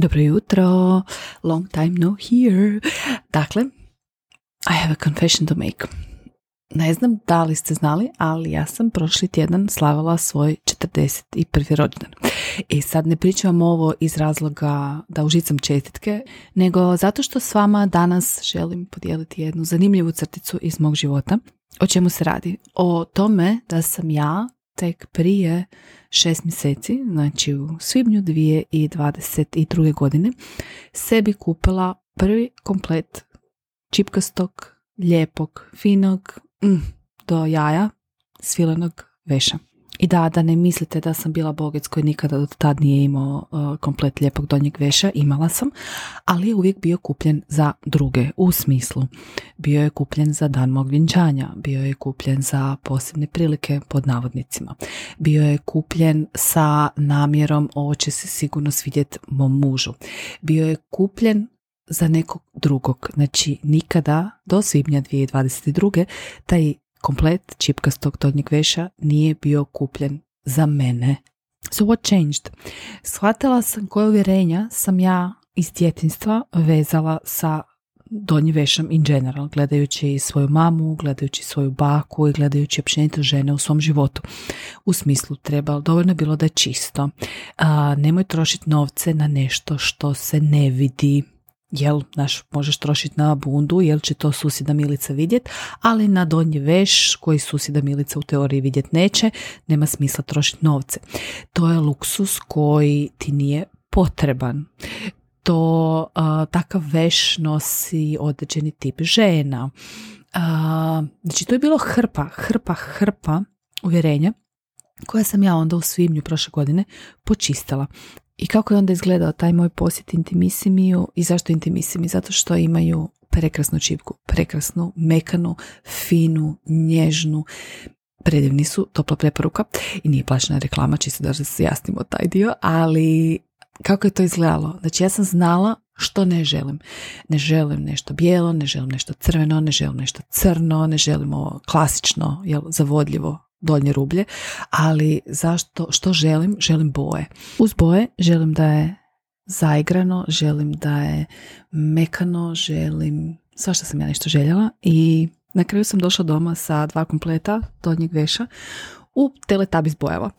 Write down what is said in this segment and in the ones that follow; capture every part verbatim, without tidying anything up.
Dobro jutro, long time no here. Dakle, I have a confession to make. Ne znam da li ste znali, ali ja sam prošli tjedan slavila svoj četrdeset prvi rođendan. I sad ne pričam ovo iz razloga da užicam čestitke, nego zato što s vama danas želim podijeliti jednu zanimljivu crticu iz mog života. O čemu se radi? O tome da sam ja tek prije šest mjeseci, znači u svibnju dvije tisuće dvadeset druge. godine, sebi kupila prvi komplet čipkastog, lijepog, finog, mm, do jaja, svilenog veša. I da, da ne mislite da sam bila bogec koji nikada do tad nije imao uh, komplet lijepog donjeg veša, imala sam, ali je uvijek bio kupljen za druge, u smislu. Bio je kupljen za dan mog vjenčanja, bio je kupljen za posebne prilike pod navodnicima, bio je kupljen sa namjerom ovo će se sigurno svidjeti mom mužu, bio je kupljen za nekog drugog, znači nikada do svibnja dvije tisuće dvadeset druge. taj komplet čipkastog donjeg veša nije bio kupljen za mene. So what changed? Shvatila sam koje uvjerenja sam ja iz djetinjstva vezala sa donjim vešom in general, gledajući svoju mamu, gledajući svoju baku i gledajući općenito žene u svom životu. U smislu treba, dovoljno je bilo da je čisto. A, nemoj trošiti novce na nešto što se ne vidi. Jel, znaš, možeš trošiti na bundu, jel će to susjeda Milica vidjet, ali na donji veš koji susjeda Milica u teoriji vidjet neće, nema smisla trošiti novce. To je luksus koji ti nije potreban. To uh, takav veš nosi određeni tip žena. Uh, znači to je bilo hrpa, hrpa, hrpa uvjerenja koja sam ja onda u svibnju prošle godine počistila. I kako je onda izgledao taj moj posjet Intimissimiju i zašto Intimissimi? Zato što imaju prekrasnu čipku, prekrasnu, mekanu, finu, nježnu, predivni su, topla preporuka i nije plaćena reklama, čisto da se jasnimo taj dio, ali kako je to izgledalo? Znači ja sam znala što ne želim. Ne želim nešto bijelo, ne želim nešto crveno, ne želim nešto crno, ne želim ovo klasično, jel, zavodljivo donje rublje, ali zašto, što želim? Želim boje. Uz boje želim da je zaigrano, želim da je mekano, želim svašta sam ja nešto željela i na kraju sam došla doma sa dva kompleta donjeg veša u Teletubbies bojama.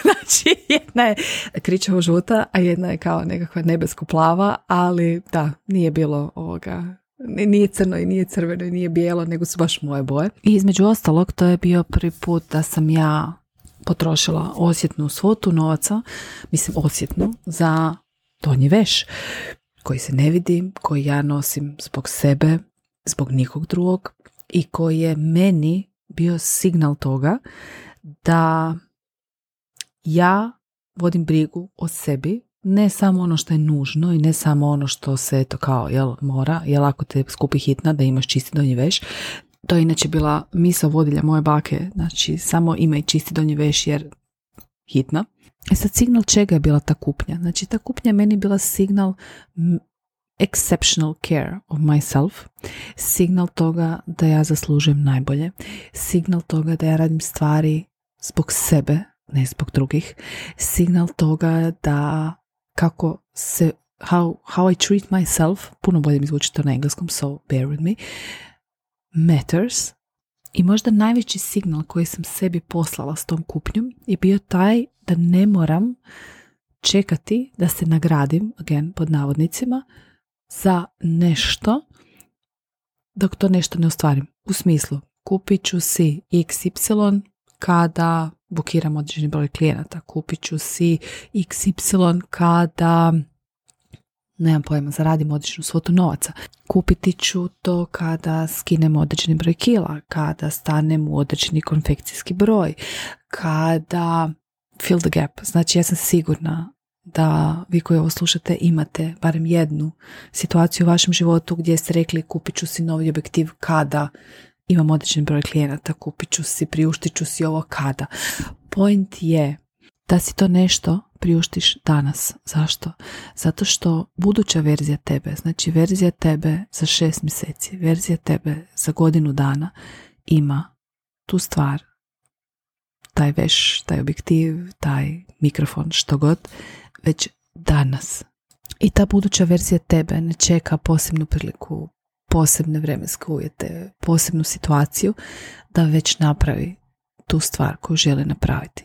Znači jedna je kričavo žuta, a jedna je kao nekakva nebesko plava, ali da, nije bilo ovoga, nije crno i nije crveno i nije bijelo, nego su baš moje boje. I između ostalog to je bio prvi put da sam ja potrošila osjetnu svotu novaca, mislim osjetnu, za donji veš koji se ne vidi, koji ja nosim zbog sebe, zbog nikog drugog i koji je meni bio signal toga da ja vodim brigu o sebi, ne samo ono što je nužno i ne samo ono što se eto kao jel, mora, jel ako te skupi hitna da imaš čisti donji veš. To je inače bila misao vodilja moje bake, znači samo imaj čisti donji veš jer hitna. E sad signal čega je bila ta kupnja? Znači ta kupnja meni bila signal exceptional care of myself, signal toga da ja zaslužujem najbolje, signal toga da ja radim stvari zbog sebe, ne zbog drugih, signal toga da kako se, how, how I treat myself, puno bolje mi zvuči to na engleskom, so bear with me, matters. I možda najveći signal koji sam sebi poslala s tom kupnjom je bio taj da ne moram čekati da se nagradim, again, pod navodnicima, za nešto dok to nešto ne ostvarim. U smislu, kupit ću si iks ipsilon kada bukiram određeni broj klijenata, kupit ću si iks ipsilon kada nemam pojma, zaradim određenu svotu novaca, kupiti ću to kada skinem određeni broj kila, kada stanem u određeni konfekcijski broj, kada fill the gap. Znači ja sam sigurna da vi koji ovo slušate imate barem jednu situaciju u vašem životu gdje ste rekli kupit ću si novi objektiv kada imam određen broj klijenata, kupit ću si, priuštit ću si ovo kada. Point je da si to nešto priuštiš danas. Zašto? Zato što buduća verzija tebe, znači verzija tebe za šest mjeseci, verzija tebe za godinu dana ima tu stvar, taj veš, taj objektiv, taj mikrofon, što god, već danas. I ta buduća verzija tebe ne čeka posebnu priliku, posebne vremenske uvjete, posebnu situaciju da već napravi tu stvar koju želi napraviti.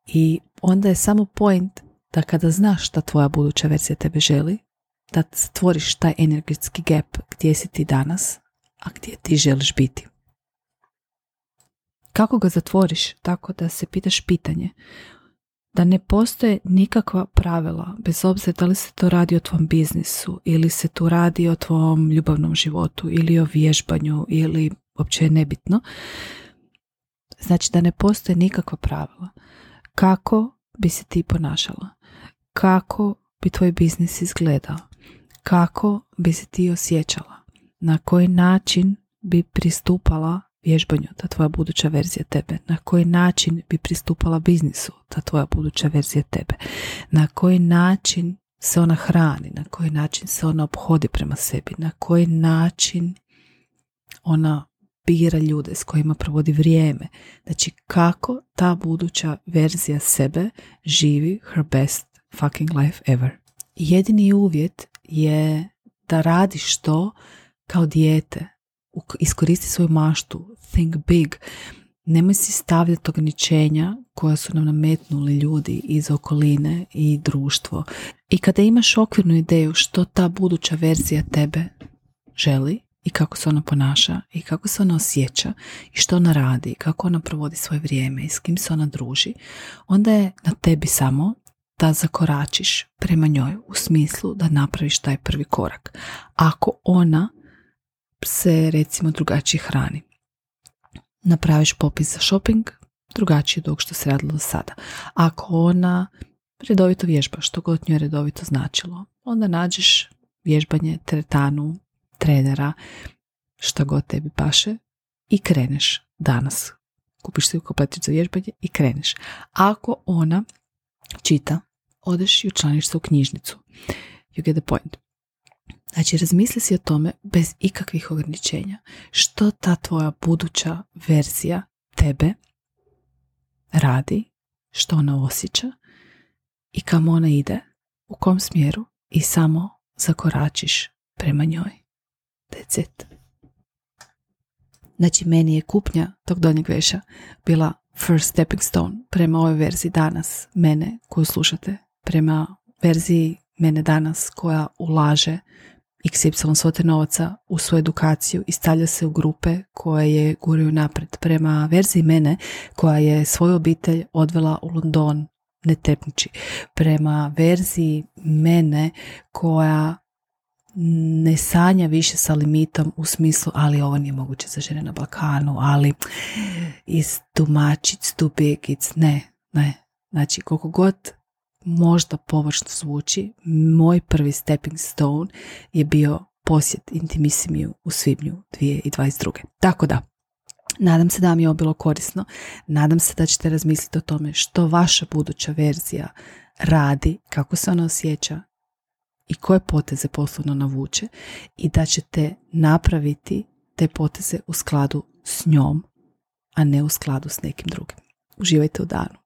I onda je samo point da kada znaš šta tvoja buduća verzija tebe želi, da stvoriš taj energetski gap gdje si ti danas, a gdje ti želiš biti. Kako ga zatvoriš? Tako da se pitaš pitanje da ne postoje nikakva pravila, bez obzira da li se to radi o tvom biznisu ili se tu radi o tvom ljubavnom životu ili o vježbanju ili uopće je nebitno. Znači da ne postoje nikakva pravila. Kako bi se ti ponašala? Kako bi tvoj biznis izgledao? Kako bi se ti osjećala? Na koji način bi pristupala vježbanju, ta tvoja buduća verzija tebe? Na koji način bi pristupala biznisu, ta tvoja buduća verzija tebe? Na koji način se ona hrani? Na koji način se ona ophodi prema sebi? Na koji način ona bira ljude s kojima provodi vrijeme? Znači kako ta buduća verzija sebe živi her best fucking life ever. Jedini uvjet je da radiš to kao dijete. Iskoristi svoju maštu, think big. Nemoj si stavljati ograničenja koja su nam nametnuli ljudi iz okoline i društvo. I kada imaš okvirnu ideju što ta buduća verzija tebe želi i kako se ona ponaša i kako se ona osjeća i što ona radi, kako ona provodi svoje vrijeme i s kim se ona druži, onda je na tebi samo da zakoračiš prema njoj u smislu da napraviš taj prvi korak. Ako ona se recimo drugačije hrani, napraviš popis za shopping drugačije od ovog što se radilo do sada. Ako ona redovito vježba, što god njoj redovito značilo, onda nađeš vježbanje, teretanu, trenera, šta god tebi paše i kreneš danas. Kupiš si kompletir za vježbanje i kreneš. Ako ona čita, odeš i učlaniš se u knjižnicu. You get the point. Znači, razmisli si o tome bez ikakvih ograničenja. Što ta tvoja buduća verzija tebe radi, što ona osjeća i kamo ona ide, u kom smjeru i samo zakoračiš prema njoj. That's it. Znači, meni je kupnja tog donjeg veša bila first stepping stone prema ovoj verziji danas mene koju slušate, prema verziji mene danas koja ulaže iks ipsilon svote novaca u svoju edukaciju i stavlja se u grupe koje je guraju napred, prema verziji mene koja je svoju obitelj odvela u London ne trepniči, prema verziji mene koja ne sanja više sa limitom u smislu ali ovo nije moguće za žene na Balkanu, ali it's too much, it's too big, it's ne, ne. Znači koliko god možda površno zvuči, moj prvi stepping stone je bio posjet Intimissimiju u svibnju dvije tisuće dvadeset druge. Tako da, nadam se da vam je ovo bilo korisno, nadam se da ćete razmisliti o tome što vaša buduća verzija radi, kako se ona osjeća i koje poteze poslovno navuče i da ćete napraviti te poteze u skladu s njom, a ne u skladu s nekim drugim. Uživajte u danu.